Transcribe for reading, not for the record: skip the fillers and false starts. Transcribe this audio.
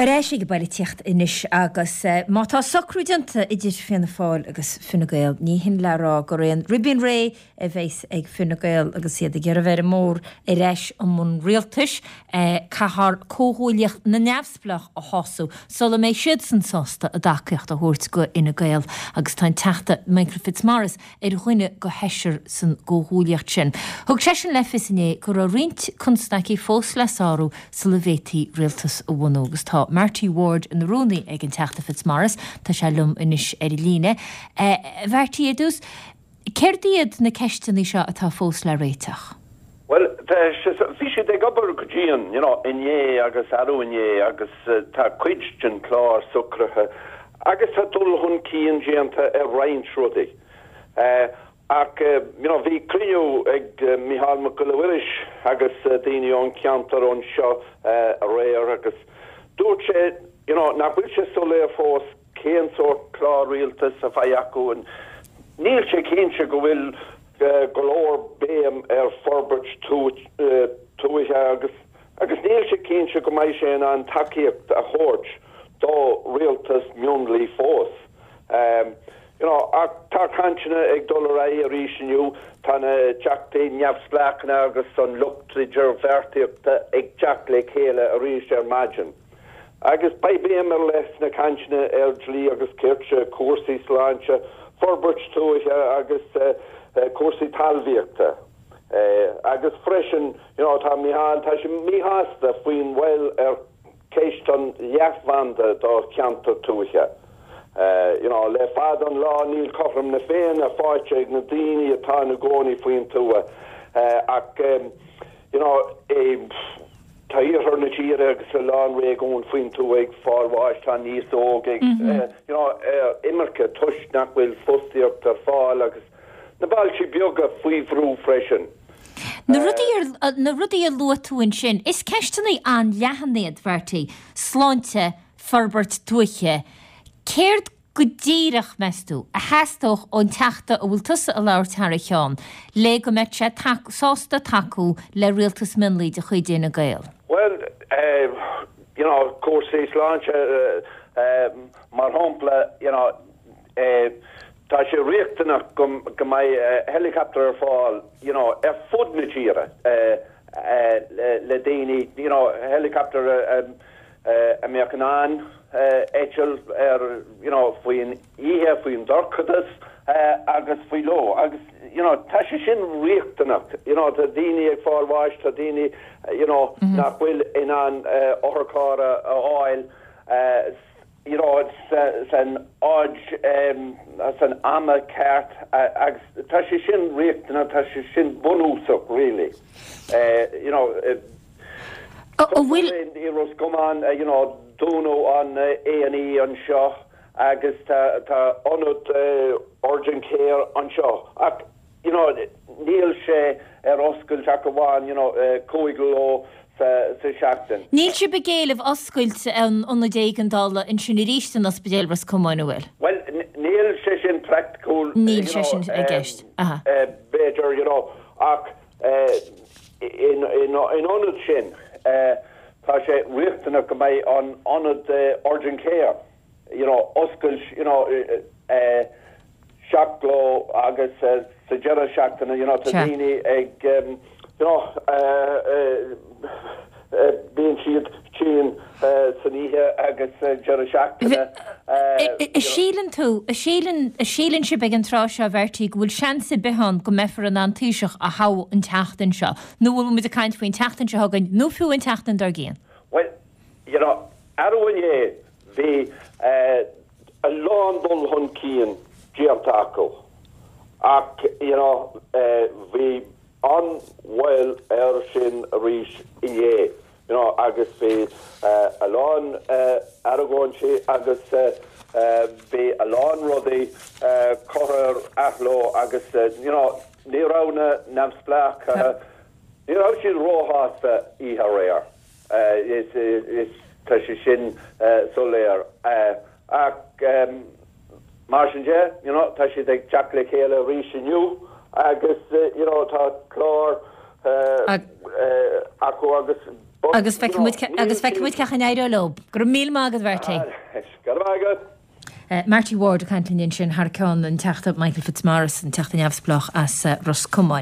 Ar ais ag an bpoilitíocht anois agus má tá socrú déanta idir Fianna Fáil agus Fine Gael, ní hin le rá gur aon ribín réidh a bheas ag Fine Gael agus iad ag iarraidh a bheith ar an mbóthar ar ais i mbun rialtais. Caithfear Comhghuaillíocht na Neamhspleách a shásamh sula mbeidh siadsan sásta a dtacaíocht a thabhairt go Fhine Gael agus tá an Teachta Michael Fitzmaurice ar dhuine de sheisear san gcomhghuaillíocht sin. Thug seisean le fios inné go raibh roinnt constaicí fós le sárú sula bhféadfaí rialtas a bhunú. Agus tá Marty Ward ina rúnaí ag an Teachta Fitzmaurice. Tá sé liom anois ar an líne. A Mharty, ar dtús, céard iad na ceisteanna seo atá fós le réiteach? Bhuel, bhí siad ag obair go dian, you know, inné agus arú inné agus tá cuid den chlár socraithe agus tá dul chun cinn déanta ar roinnt rudaí. Ach, you know, bhí cruinniú ag Micheál Mac Giolla Mhuiris agus daoine ón cheantar anseo aréir agus dúirt sé, you know, nach bhfuil sé soiléir fós cén sórt clár rialtais a bheidh acu. Níl sé cinnte go bhfuil go leor béim ar forbairt tuaithe agus agus níl sé cinnte go mbeidh sé in ann tacaíocht a thabhairt do rialtas mionlaigh fós. You know, ach tá cainteanna ag dul ar aghaidh arís inniu, tá na teachtaí neamhspleácha agus an lucht idirbheartaíochta ag teacht le chéile arís ar maidin. Agus beidh béim ar leith sna cainteanna ar dhlí agus cirt, cúrsaí sláinte, forbairt tuaithe agus cúrsaí talmhaíochta. Agus freisin, you know, tá Micheál, tá sé míshásta faoin mhoill ar cheist an leathbhanda do cheantar tuaithe. You know, le fada an lá níl cothrom na Féinne faighte ag na daoine atá ina gcónaí faoin tuath ach, you know, Tá iarthar na tíre agus a lán réigiún faoin tuath ag fáil bháis, tá an aos óg ag you know ar imirce toisc nach bhfuil fostaíocht ar fáil agus na bailte beaga faoi bhrú freisin. Na rudaí ar, na rudaí a luaigh tú ansin, is ceisteanna an-leathan iad, Mharty, sláinte, forbairt tuaithe. Céard go díreach, meas tú, a theastódh ón Teachta a bhfuil tusa ag labhairt thar a cheann le go mbeadh sé sásta tacú le rialtas mionlaigh de chuid Fhine Gael? Bhuel, you know, cúrsaí sláinte, mar shampla, you know, tá sé riachtanach go mbeidh helicopter ar fáil, you know, ar fud na tíre le daoine, you know, helicopter a mbeadh in ann eitilt ar you know faoin oíche, faoin dorchadas agus faoi ló agus you know tá sé sin riachtanach you know tá daoine ag fáil bháis, tá daoine you know nach bhfuil in ann otharcharr a fháil you know san áit san am ceart agus tá sé sin riachtanach, tá sé sin bunúsach really you know. An bhfuil. I Ros Comáin, you know, dúnadh an A&E anseo agus tá tá ionad urgent care anseo ach, you know, níl sé ar oscailt ach amháin, you know, 5 ló sa sa seachtain. Níl sibh ag éileamh oscailt an ionaid éigeandála ansin arís in Ospidéal Ros Comáin, an bhfuil? Bhuel, níl sé sin praiticiúil, you know. Níl sé sin i gceist, aha. B'fhéidir, you know, ach. In ionad sin, tá sé riachtanach go mbeidh an ionad urgent care, you know, oscailt, you know, 7 ló agus sa deireadh seachtaine, you know, tá daoine ag, you know, Bíonn siad tinn san oíche agus deireadh seachtaine. An síleann tú, an síleann, an síleann sibh ag an tráth seo, a Mharty, go bhfuil seans ar bith ann go mbeifear in ann Taoiseach a thoghadh an tseachtain seo? Nó an bhfuil muid ag caint faoin tseachtain seo chugainn nó fiú an tseachtain dár gcionn? Bhuel, you know, arú inné bhí a lán dul chun cinn déanta acu ach, you know, bhí an-mhoill air sin arís inné, you know, agus bhí a lán argóintí agus bhí a lán rudaí curtha ar athló agus, you know, ní raibh na neamhspleáchaithe, ní raibh siad róshásta oíche aréir, is, tá sé sin soiléir. Ach mar sin de, you know, tá siad ag teacht le chéile arís inniu agus, you know, tá clár acu agus. But, Agus feicfidh muid agus feicfidh muid cén chaoi a n-éireoidh leo. Go raibh míle maith agat, Mharty. Go raibh maith agat. Marty Ward ag caint linn ansin thar ceann an Teachta Michael Fitzmaurice, an Teachta Neamhspleách as Ros Comáin.